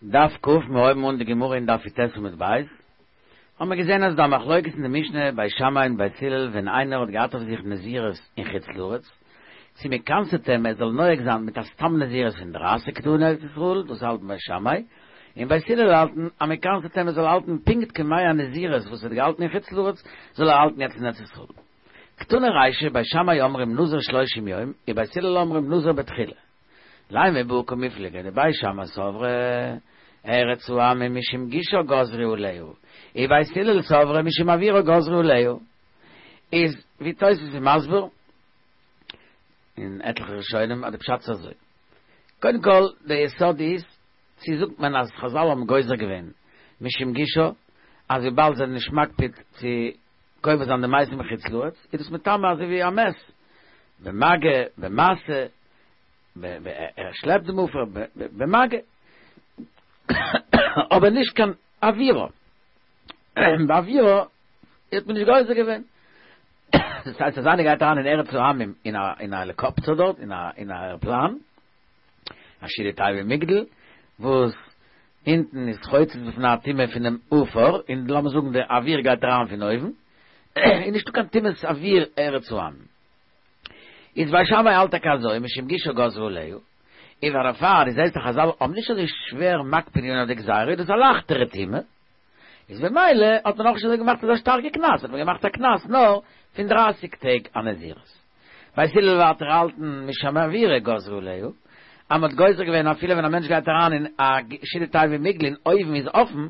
דף ק, מיר הויבן אן די גמרא אין דף י"ט עמוד ב', האבן מיר געזען אז ס'דא א מחלוקת אין די משנה בית שמאי און בית הלל ווען איינער האט געהאט אויף זיך נזירות אין חוץ לארץ, צו מען קנס'עט אים ער זאל נוהג זיין מיט א סתם נזירות פון דרייסיג טאג אין ארץ ישראל, דאס האלטן בית שמאי, און בית הלל האלטן אז מען קנס'עט אים ער זאל האלטן פונקט כימי הנזירות וואס ער האט געהאלטן אין חוץ לארץ זאל ער האלטן יעצט אין ארץ ישראל. קתני רישא, בית שמאי אומרים נזיר שלושים יום, ובית הלל אומרים נזיר בתחילה. לימא בהא קמיפלגי דבית שמאי סברי ארץ העמים משום גושה גזרו עליה, ובית הלל סברי משום אוירה גזרו עליה. איז ווי תוס' איז מסביר און עטליכע ראשונים אז די פשט איז אזוי. קודם כל די יסוד איז צו זאגט מען אז חזל האבן גוזר געווען משום גושה אז וויבאלד זיי זענען נישט מקפיד צו קובר זיין די מתים בחוץ לארץ איז דאס מטמא אזוי ווי א מת במגע במשא ער שלעפט דעם עפר במגע, אבער נישט קיין אוירה, באוירה האט מען נישט גוזר געווען, דאס הייסט אז איינער גייט אריין אין ארץ העמים אין א העליקאפטער דארט, אין א עראפלאן, א שידה תיבה ומגדל, וואס אונטן איז חוצץ בפני הטומאה פונעם עפר, און לאמיר זאגן די אוויר גייט אריין פון אויבן, איז נישטא קיין טומאת אוויר ארץ העמים. איז בית שמאי האלט טאקע אזוי משום גושה גזרו עליה, און פאר דערפאר איז זעסטו חזל האבן נישט אזוי שווער מקפיד געווען אויף די גזירה איז דאס א לייכטערע טומאה, איז במילא האט מען אויך נישט אזוי געמאכט אזא שטארקע קנס האט מען געמאכט א קנס נאר פון דרייסיג טעג א נזירות. בית הלל ווייטער האלטן משום אוירה גזרו עליה, אז מען האט גוזר געווען אפילו ווען א מענטש גייט אריין אין א שידה תיבה ומגדל און אויבן איז אפן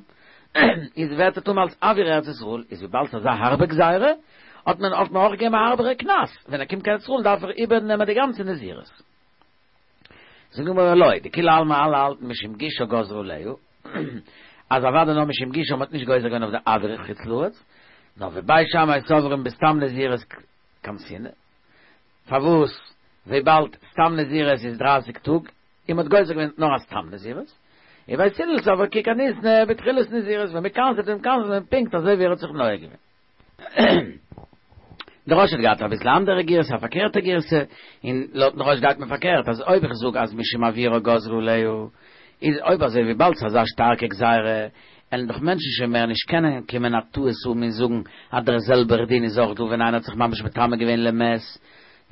איז ווערט ער טמא אלס אויר ארץ ישראל, איז וויבאלד ס'איז אזא הארבע גזירה האט מען האט מען אויך געגעבן א הארבערע קנס, ווען ער קומט קיין ארץ ישראל דארף ער איבערנעמען די גאנצע נזירות. זאגט די גמרא לא, דכולי עלמא אלע האלטן משום גושה גזרו עליה, אז אוודאי נאר משום גושה מ'האט נישט גוזר געווען אויף די אויר חוץ לארץ, נאר ובית שמאי סוברים בסתם נזירות קמסינן, פארוואס וויבאלד סתם נזירות איז דרייסיג טאג, און מ'האט גוזר געווען נאר א סתם נזירות, ובית הלל סברי כי קניתנה בתחילת נזירות, ווען מ'קנס'ט אים קנס'ט מען פונקט אזוי ווי ער האט זיך נוהג געווען. דער ראש האט געהאט אביסל אנדערע גירסא, א פארקערטע גירסא, און לויטן ראש גייט מען פארקערט, אז אויב איך זאג אז משום אוירה גזרו עליה, איז אויב אזוי וויבאלד ס'איז אזא שטארקע גזירה, עלן דאך מענטשן שוין מער נישט קענען קומען א טעות האבן און זאגן אז דער זעלבער דין איז אויך דא ווען איינער האט זיך ממש מטמא געווען למת,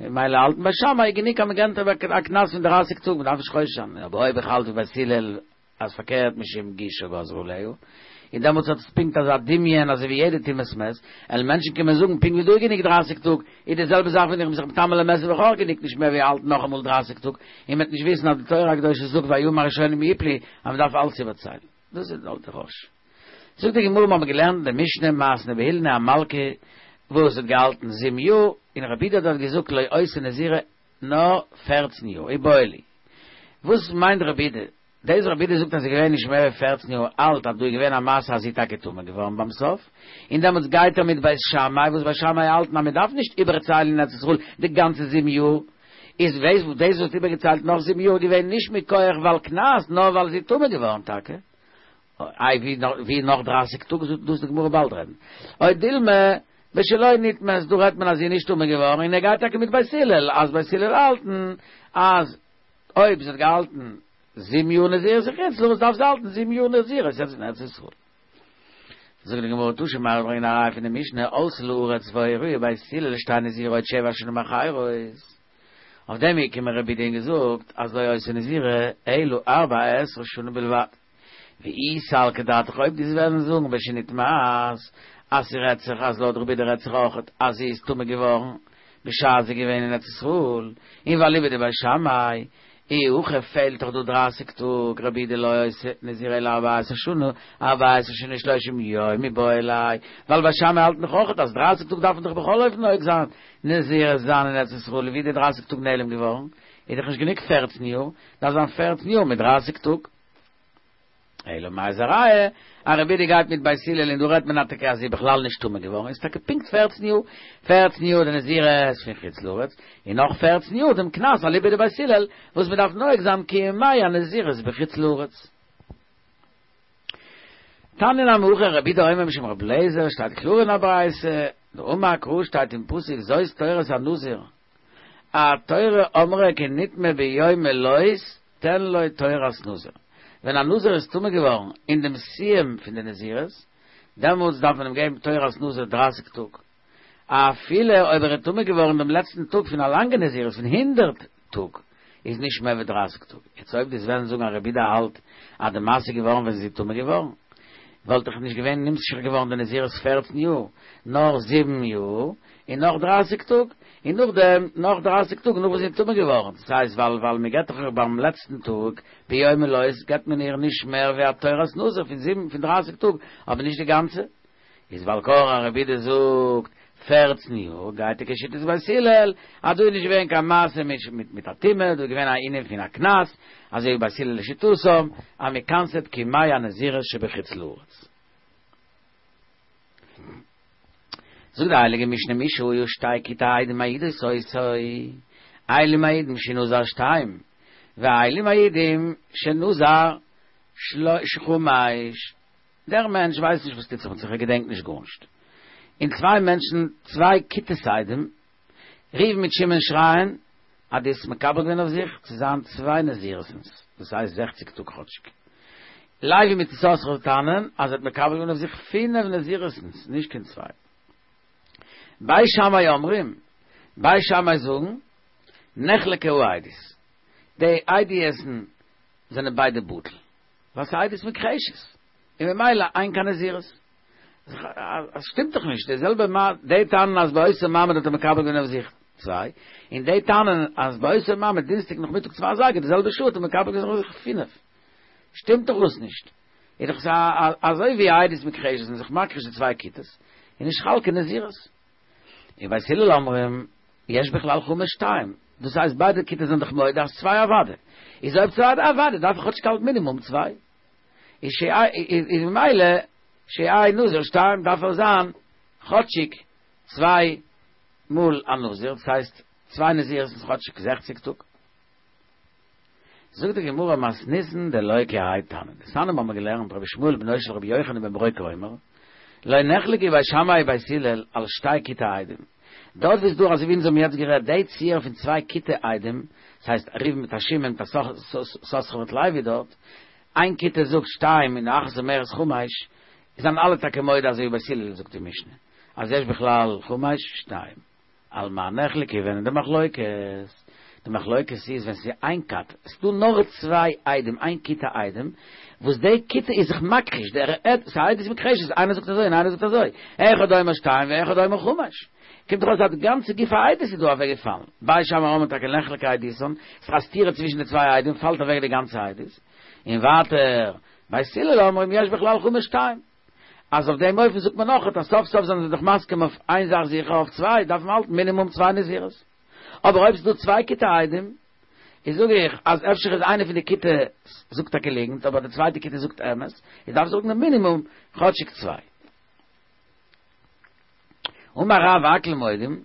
ממילא האלטן בית שמאי גענוג אז מ'געבט א קנס פון דרייסיג טאג, מ'דארף נישט חושש זיין, אבער אויב איך האלט ווי בית הלל אז פארקערט משום גושה גזרו עליה, און דעמאלטס האט עס פונקט אזא דמיון אזוי ווי יעדע טומאת מת, עלן מענטשן קומען זאגן פונקט ווי דא איז גענוג דרייסיג טאג, איז די זעלבע זאך ווען איך בין זיך מטמא למת איז דאך אויך גענוג נישט מער ווי האלטן נאכאמאל דרייסיג טאג, און מ'וועט נישט וויסן אז די תורה הקדושה זאגט והימים הראשונים יפלו אז מ'דארף אלץ איבערציילן. דאס איז לויט די ראש. זאגט די גמרא מ'האבן געלערנט אין די משנה מתנא בהילני א מלכה וואס האט געהאלטן זיבן יאר, און רבי יהודה האט געזאגט לא היתה נזירה נאר פערצן יאר, איבעיא להו. וואס מיינט רבי יהודה? דאס רבי יהודה זאגט אז זי איז געווען נישט מער ווי פערצן יאר אלט אז דא איז געווען א מעשה אז זי איז טאקע טמא געווארן ביים סוף, און דעמאלטס גייט ער מיט בית שמאי וואס בית שמאי האלטן אז מען דארף נישט איבערציילן אין ארץ ישראל די גאנצע זיבן יאר, איז דאס וואס דאס וואס איבערגעציילט נאך זיבן יאר איז געווען נישט מכח ווייל קנס נאר ווייל זי איז טמא געווארן טאקע. איי ווי ווי נאך דרייסיג טאג זאגט דאס די גמרא באלד רעדן. או דילמא בשלא נטמאת דא רעדט מען אז זי איז נישט טמא געווארן און ער גייט טאקע מיט בית הלל אז בית הלל האלטן אז אויב זי האט געהאלטן זיבן יאר נזירות אין חוץ לארץ דארף זי האלטן זיבן יאר נזירות יעצט אין ארץ ישראל. זאגט די גמרא תא שמע ברענגען א ראיה פון די משנה עלתה לארץ והורוה בית הלל שתהא נזירה עוד שבע שנים אחרות. אויף דעם איז געקומען רבי יהודה און געזאגט אז לא היתה נזירה אלא ארבע עשרה שנה בלבד. ואי סלקא דעתך אויב דו וועסט וועלן זאגן בשנטמאת אז ס'רעדט זיך אז לויט רבי יהודה רעדט זיך אויך אז זי איז טמא געווארן בשעת זי איז געווען אין ארץ ישראל און ואליבא דבית שמאי אי הכי פעלט דאך דא דרייסיג טאג רבי יהודה לא היתה נזירה אלא ארבע עשרה שנה ארבע עשרה שנה ושלושים יום מיבעי ליה ווייל בית שמאי האלטן דאך אויך אז דרייסיג טאג דארף מען דאך בכל אופן נוהג זיין נזירות זיין אין ארץ ישראל ווי איז די דרייסיג טאג נעלם געווארן איז דאך נישט גענוג פערצן יאר דארף זיין פערצן יאר מיט דרייסיג טאג. אלא מאי איז א ראיה אז רבי יהודה גייט מיט בית הלל און דא רעדט מען טאקע אז זי איז בכלל נישט טמא געווארן איז טאקע פונקט פערצן יאר, פערצן יאר די נזירות פון חוץ לארץ און נאך פערצן יאר דעם קנס אליבא דבית הלל וואס מען דארף נוהג זיין כימי הנזירות בחוץ לארץ. תניא נמי הכי רבי יהודה אומר משום רבי אליעזר שטייט קלאר אין א ברייתא דאמר קרא שטייט אין פסוק זאת תורת הנזיר התורה אמרה כי נטמא ביום מלאות תן לו תורת נזיר. ווען א נזיר איז טמא געווארן אין דעם סיום פון די נזירות, דעמאלטס דארף מען אים געבן תורת נזיר דרייסיג טאג, אפילו אויב ער איז טמא געווארן דעם לעצטן טאג פון א לאנגע נזירות פון הונדרעט טאג, איז נישט מער ווי דרייסיג טאג. יעצט אויב דו'סט וועלן זאגן אז רבי יהודה האלט אז די מעשה איז געווארן ווען זי איז טמא געווארן, וואלט דאך נישט געווען נמשך געווארן די נזירות פערצן יאר, נאר זיבן יאר, און נאך דרייסיג טאג, און נאכדעם נאך דרייסיג טאג נאך וואס זי איז טמא געווארן, דאס הייסט ווייל ווייל מען געבט דאך איר ביים לעצטן טאג ביום מלאות געבט מען איר נישט מער ווי א תורת נזיר פון זיבן פון דרייסיג טאג, אבער נישט די גאנצע. איז בעל כרחך רבי יהודה זאגט פערצן יאר גייט ער כשיטת בית הלל אז דא איז נישט געווען קיין מעשה מיט מיט א טומאה דא איז געווען א ענין פון א קנס אזוי ווי בית הלל לשיטתם אז מען קנס'עט כימי הנזירות שבחוץ לארץ. זאגט די הייליגע משנה מי שהיו שתי כיתי עדים מעידות אותו אלו מעידים שנזר שתיים ואלו מעידים שנזר חמש. דער מענטש ווייסט נישט וואס טוט זיך מיט זיך, ער געדענקט נישט גארנישט. און צוויי מענטשן, צוויי כיתות עדים, ראובן מיט שמעון שרייען אז דו האסט מקבל געווען אויף זיך צו זיין צוויי נזירות'נס, דאס הייסט זעכציג טאג כאטשיג. לוי מיט יששכר טענה'ן אז ער האט מקבל געווען אויף זיך פינף נזירות'נס, נישט קיין צוויי. בית שמאי אומרים, בית שמאי זאגן, נחלקה העדות. די עדות'ן זענען ביידע בטל. ווייל ס'איז עדות מוכחשת, און ממילא אין קיין נזירות. עס שטימט דאך נישט, די זעלבע מה, די טענה'ן אז באותו מעמד האט ער מקבל געווען אויף זיך צוויי, און די טענה'ן אז באותו מעמד דינסטאג נאכמיטאג צוויי אזייגער די זעלבע שעה האט ער מקבל געווען אויף זיך פינף. שטימט דאך דאס נישט. איז דאך אזוי ווי עדות מוכחשת זענען זיך מכחיש די צוויי כיתות, איז נישט חל קיין נזירות. און בית הלל אומרים, יש בכלל חמש שתיים, דאס הייסט ביידע כיתות זענען דאך מודה אז צוויי אוודאי, איז אויב צוויי אוודאי דארף איך כאטשיג האלטן מינימום צוויי, איז איז ממילא שיהא נזיר שתיים דארף ער זיין כאטשיג צוויי מאל א נזיר, דאס הייסט צוויי נזירות איז כאטשיג זעכציג טאג. זאגט די גמרא מתניתין דלא כי האי תנא, דתניא האבן מיר געלערנט רבי ישמעאל בנו של רבי יוחנן בן ברוקה אומר, לא נחלקו בית שמאי ובית הלל על שתי כיתי עדים, דארט ווי ס'איז דא אזוי ווי אונז האבן יעצט גערעדט די ציור פון צוויי כיתי עדים, ס'הייסט ראובן מיט א שמעון מיט א יששכר מיט לוי דארט, איין כיתה זאגט שתיים און אחת אומרת חמש, זענען אלע טאקע מודה אזוי ווי בית הלל זאגט די משנה אז יש בכלל חמש שתיים. על מה נחלקו ווען איז די מחלוקת? די מחלוקת איז ווען ס'איז איין כת, ס'איז דא נאר צוויי עדים, איין כיתה עדים, וואס די כיתה איז זיך מכחיש, דער עד, ס'איז עדות מוכחשת, איינער זאגט אזוי און איינער זאגט אזוי, אחד אומר שתיים ואחד אומר חמש. קומט דאך אויס אז די גאנצע גוף העדות איז דא אוועק געפאלן. בית שמאי אומרים טאקע נחלקה עדותן, ס'איז א סתירה צווישן די צוויי עדים, פאלט אוועק די גאנצע עדות. און ווייטער, בית הלל אומרים יש בכלל חמש שתיים. אז אויף דעם אופן זאגט מען נאך אז סוף סוף זענען זיי דאך מסכים אויף איין זאך זיכער אויף צוויי דארף מען האלטן מינימום צוויי נזירות. אבער אויב ס'איז דא צוויי כיתי עדים, איז זאג איך אז אפשר איז איינע פון די כיתה זאגט טאקע ליגנט אבער די צווייטע כיתה זאגט אמת, איז דארף זאגן די מינימום כאטשיג צוויי. אמר רב הכל מודים,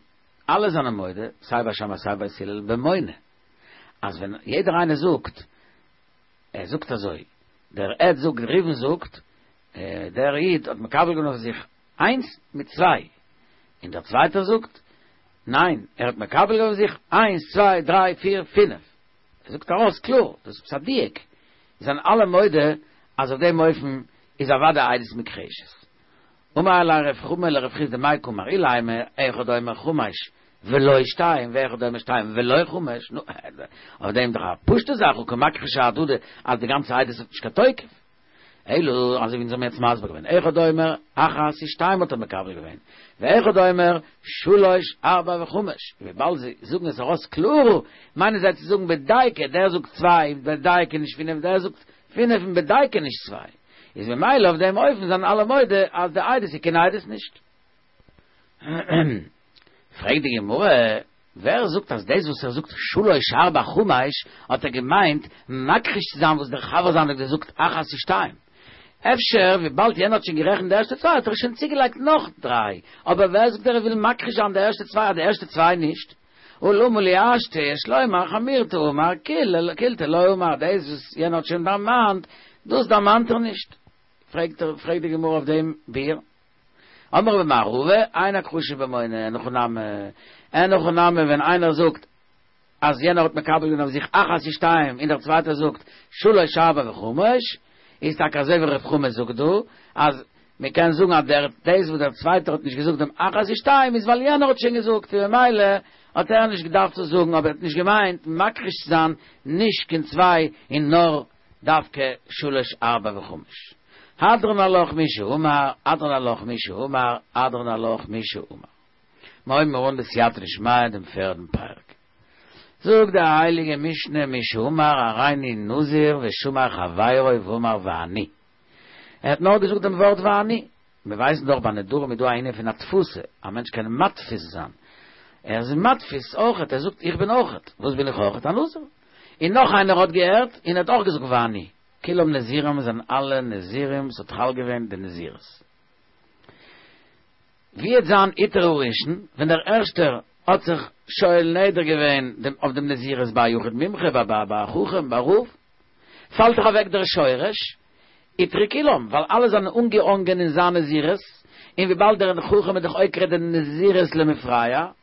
אלע זענען מודה, סיי בית שמאי סיי בית הלל, במונה, אז ווען יעדער איינער זאגט, ער זאגט אזוי, דער עד זאגט, ראובן זאגט, דער איד האט מקבל געווען אויף זיך איינס מיט צוויי, און דער צווייטער זאגט, ניין, ער האט מקבל געווען אויף זיך איינס, צוויי, דריי, פיר, פינף. ער זאגט ארויס קלאר, דאס איז א דיוק, זענען אלע מודה אז אויף דעם אופן איז אוודאי עדות מוכחשת. אמר ליה רב חמא לרב חסדא מאי קאמר אילימא אחד אומר חמש ולא שתיים ואחד אומר שתיים ולא חמש, נו, אויף דעם דאך א פשוטע זאך הא קא מכחשי אהדדי אז די גאנצע עדות האט נישט קיין תוקף. אלא, אזוי ווי אונז האבן יעצט מסביר געווען, אחד אומר אחת ושתיים האט ער מקבל געווען, ואחד אומר שלש ארבע וחמש, וויבאלד זיי זאגן עס ארויס קלאר, מיינען זיי צו זאגן בדייקא, דער זאגט צוויי בדייקא נישט פינף, דער זאגט פינף און בדייקא נישט צוויי, איז ממילא אויף דעם אופן זענען אלע מודה אז די עדות איז קיין עדות נישט. פרעגט די גמרא, ווער זאגט אז דאס וואס ער זאגט שלש ארבע חמש האט ער געמיינט מכחיש צו זיין וואס דער חבר זיינער האט געזאגט אחת ושתיים? אפשר וויבאלד יענער האט שוין גערעכנט די ערשטע צוויי האט ער שוין צוגעלייגט נאך דריי, אבער ווער זאגט ער וויל מכחיש זיין די ערשטע צוויי אז די ערשטע צוויי נישט? הא למה לי השתא יש לומר חמירתא אמר קילתא לא אמר דאס וואס יענער האט שוין דערמאנט דאס דערמאנט ער נישט. פרעגט פרעגט די גמרא אויף דעם ביאור. אמר רבה אמר רבא, אין הכחשה במונה, אין הכי נמי, אין הכי נמי ווען איינער זאגט. אז יענער האט מקבל געווען אויף זיך אחת ושתיים און דער צווייטער זאגט שלש ארבע וחמש, איז טאקע אזוי ווי רב חמא זאגט דא, אז מען קען זאגן אז דער דאס וואס דער צווייטער האט נישט געזאגט דעם אחת ושתיים איז ווייל יענער האט שוין געזאגט און ממילא האט ער נישט געדארפט צו זאגן אבער ער האט נישט געמיינט מכחיש צו זיין נישט קיין צוויי און נאר דווקא שלש ארבע וחמש. הדרן עלך מי שאמר, הדרן עלך מי שאמר, הדרן עלך מי שאמר. מיר הויבן אן בסייעתא דשמיא דעם פערדן פרק. זאגט די הייליגע משנה מי שאמר הריני נזיר ושמע חברו ואמר ואני. ער האט נאר געזאגט דעם ווארט ואני. מיר ווייסן דאך ביי נדרים איז דא א ענין פון התפסה, א מענטש קען מתפיס זיין. ער איז מתפיס אויכעט, ער זאגט איך בין אויכעט. וואס בין איך אויכעט? א נזיר. און נאך איינער האט געהערט און ער האט אויך געזאגט ואני. כולם נזירים זענען אלע נזירים, ס'האט חל געווען די נזירות. ווי וועט זיין הותר הראשון, ווען דער ערשטער האט זיך שואל נדר געווען דעם אויף דעם נזירות ביי א יחיד מומחה, ביי ביי ביי א חכם, ביי א רב, פאלט דאך אוועק דער שורש, הותרו כולם, ווייל אלע זענען אנגעהאנגען אין זיין נזירות, און וויבאלד דער חכם איז דאך עוקר די נזירות למפרע,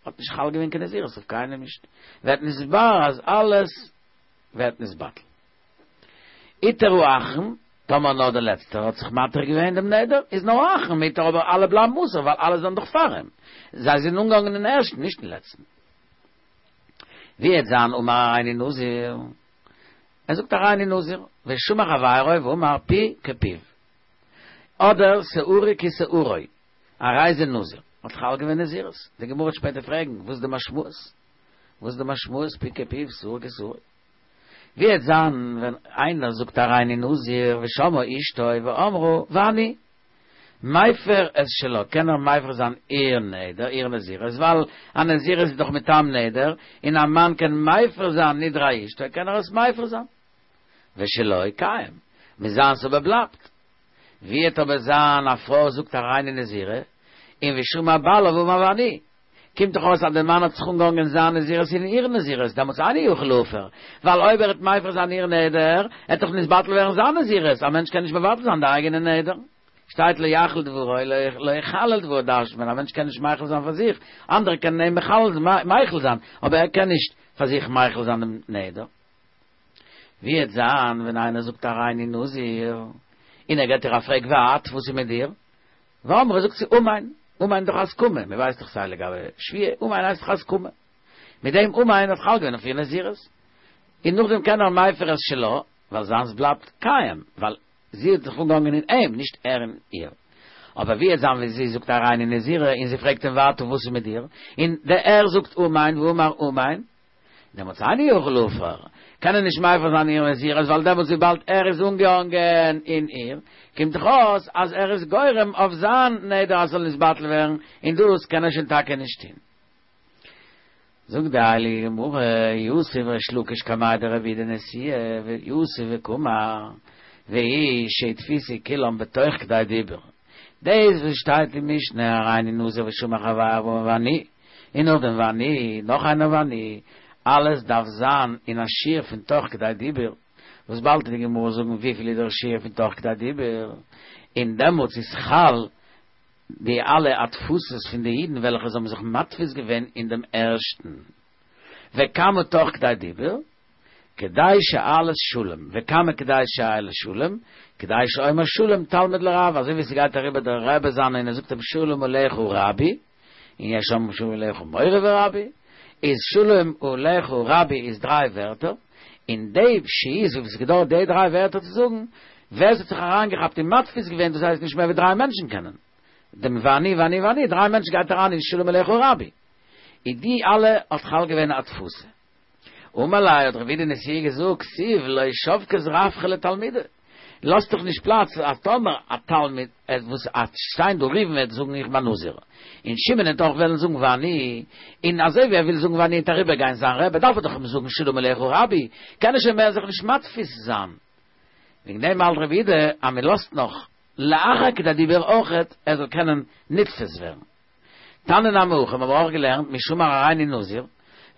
האט נישט חל געווען קיין נזירות אויף קיינעם נישט, ווערט נתבאר אז אלעס ווערט נתבטל. הותר האחרון, טאמער נאר דער לעצטער האט זיך מתיר געווען דעם נדר, איז נאר האחרון מותר אבער אלע בלייבן אסור ווייל אלע זענען דאך פאר אים, זיי זענען אנגעהאנגען אין ערשטן נישט אין לעצטן. ווי וועט זיין אמר הריני נזיר, ער זאגט הריני נזיר, ושמע חברו ואמר פי כפיו, אדער שערי כשערו, הרי זה נזיר, האט חל געווען נזירות, די גמרא וועט שפעטער פרעגן וואס איז די משמעות, וואס איז די משמעות פי כפיו שער כשערו. ווי וועט זיין ווען איינער זאגט הריני נזיר ושמעה אשתו ואמרה ואני מפר את שלה קען ער מפר זיין איר נדר איר נזירות ווייל א נזירות איז דאך מטעם נדר און א מאן קען מפר זיין נדרי אשתו קען ער עס מפר זיין ושלו קיים מיט זיינס אבער בלייבט ווי וועט אבער זיין א פרוי זאגט הריני נזירה און ושמע בעלה ואמר ואני קומט דאך אויס אז דער מאן האט זיך אנגעהאנגען זיין נזירות אין איר נזירות, דעמאלטס אינו יכול להפר, ווייל אויב ער וועט מפר זיין איר נדר, עט דאך נתבטל ווערן זיין נזירות, א מענטש קען נישט מבטל זיין די אייגענע נדר. שטייט לא יחל דברו, לא יחלל דברו דרש'נט מען, א מענטש קען נישט מחיל זיין פאר זיך, אנדערע קענען אים מחיל זיין, אבער ער קען נישט פאר זיך מחיל זיין דעם נדר. ווי עט זיין ווען איינער זאגט הריני נזיר, און ער געט איר א פרעג ואת, וואס איז מיט דיר? ואמרה זאגט זי אמן, אמן איז דאך הסכמה, מען ווייסט דאך סיי לגבי שבועה, אמן הייסט דאך הסכמה. מיט דעם אמן האט חל געווען אויף איר נזירות. און נאכדעם קען ער מפר את שלה, ווייל זיינס בלייבט קיים, ווייל זי האט זיך אנגעהאנגען אין אים, נישט ער אין איר. אבער ווי עט זיין ווען זי זאגט הריני נזירה און זי פרעגט אים ואתה וואס איז מיט דיר, און דער ער זאגט אמן ואמר אמן, דעמאלטס אינו יכול להפר, קען ער נישט מפר זיין איר נזירות ווייל דעמאלטס וויבאלד ער איז אנגעהאנגען אין איר, קומט דאך אויס אז ער איז גורם אויף זיין נדר אז ס'זאל נתבטל ווערן, און דאס קען ער שוין טאקע נישט טון. זאגט די הייליגע גמרא, יתיב ריש לקיש קמיה דרבי יהודה נשיאה, ויתיב וקאמר, והוא שהתפיסו כולם בתוך כדי דיבור. דאס וואס שטייט אין משנה הריני נזיר ושמע חברו ואמר ואני, און נאכדעם ואני, נאך איינער ואני, אלעס דארף זיין אין א שיעור פון תוך כדי דיבור, וואס באלד וועט די גמרא זאגן וויפיל איז דער שיעור פון תוך כדי דיבור, און דעמאלטס איז חל די אלע התפסות פון די אידן וועלכע זיי האבן זיך מתפיס געווען אין דעם ערשטן וכמה תוך כדי דיבור, כדי שאלת שלום, וכמה כדי שאלת שלום, כדי שאומר שלום תלמיד לרב, אזוי ווי ס'גייט אריבער דער רבי זיינע און ער זאגט אים שלום עליך רבי, און יש אומרים שלום עליך מורי ורבי, איז שלום עליך רבי איז דריי ווערטער, און די שהיות וואס עס געדויערט די דריי ווערטער צו זאגן, ווער ס'האט זיך אריינגעכאפט און מתפיס געווען דאס הייסט נישט מער ווי דריי מענטשן קענען דעם ואני ואני ואני, דריי מענטשן גייט אריין אין שלום עליך רבי, איז די אלע האט חל געווען א תפוסה. אמר ליה האט רבי יהודה נשיאה געזאגט, כתיב לא שבקת רווחא לתלמידא, לאזט דאך נישט פלאץ אז טאמער א תלמיד עט וואס עט שטיין דא ראובן וועט זאגן איך בין נזיר, און שמעון עט אויך וועלן זאגן ואני, און אזוי ווי ער וויל זאגן ואני עט אריבער גיין זיין רבי דארף ער דאך אים זאגן שלום עליך רבי, קען ער שוין מער זיך נישט מתפיס זיין. וועגן דעם האלט רבי יהודה אז מען לאזט נאך לאחר כדי דיבור אויכעט ער זאל קענען נתפס ווערן. תניא נמי הכי, מיר האבן אויך געלערנט מי שאמר הריני נזיר,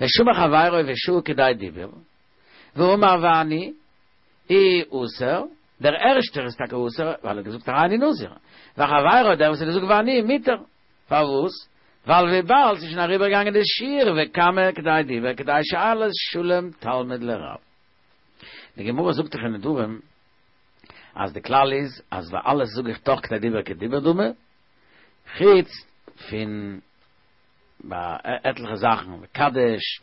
ושמע חברו ושהה כדי דיבור, ואמר ואני, הוא אסור, דער ערשטער איז טאקע אסור, ווייל ער האט געזאגט הריני נזיר, וחברו דער וואס האט געזאגט ואני, מותר, פארוואס? ווייל וויבאלד ס'איז שוין אריבערגעגאנגען די שיעור וכמה כדי דיבור כדי שאלת שלום תלמיד לרב. די גמרא זאגט דאך אין נדרים אז די כלל איז אז ביי אלעס זאג איך תוך כדי דיבור כדיבור דמי, חוץ פון ביי עטליכע זאכן מקדש,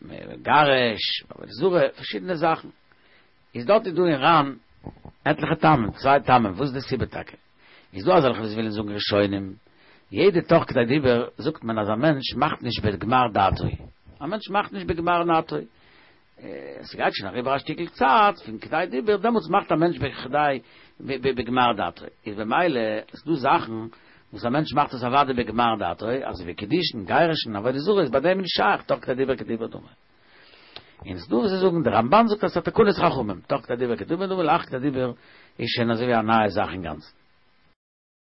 מגרש, עבודה זרה, פארשידענע זאכן. איז דארט איז דא אין ר"ן עטליכע טעמים, צוויי טעמים, וואס איז די סיבה טאקע? איז דא אזעלכע וואס ווילן זאגן ראשונים, יעדע תוך כדי דיבור זאגט מען אז א מענטש מאכט נישט בגמר דעתו, א מענטש מאכט נישט בגמר דעתו, ס'גייט שוין אריבער א שטיקל צייט פון כדי דיבור, דעמאלטס מאכט א מענטש בכדי בגמר דעתו, איז במילא ס'דא זאכן וואס א מענטש מאכט עס אוודאי בגמר דעתו, אזוי ווי קידושין, גירושין, עבודה זרה איז ביי דעם נישט שייך תוך כדי דיבור כדיבור דמי. און ס'דא וואס זיי זאגן, דער רמב"ן זאגט אז ס'איז א תקנת חכמים, תוך כדי דיבור כדיבור דמי, לאחר כדי דיבור איז שוין אזוי ווי א נייע זאך אינגאנצן.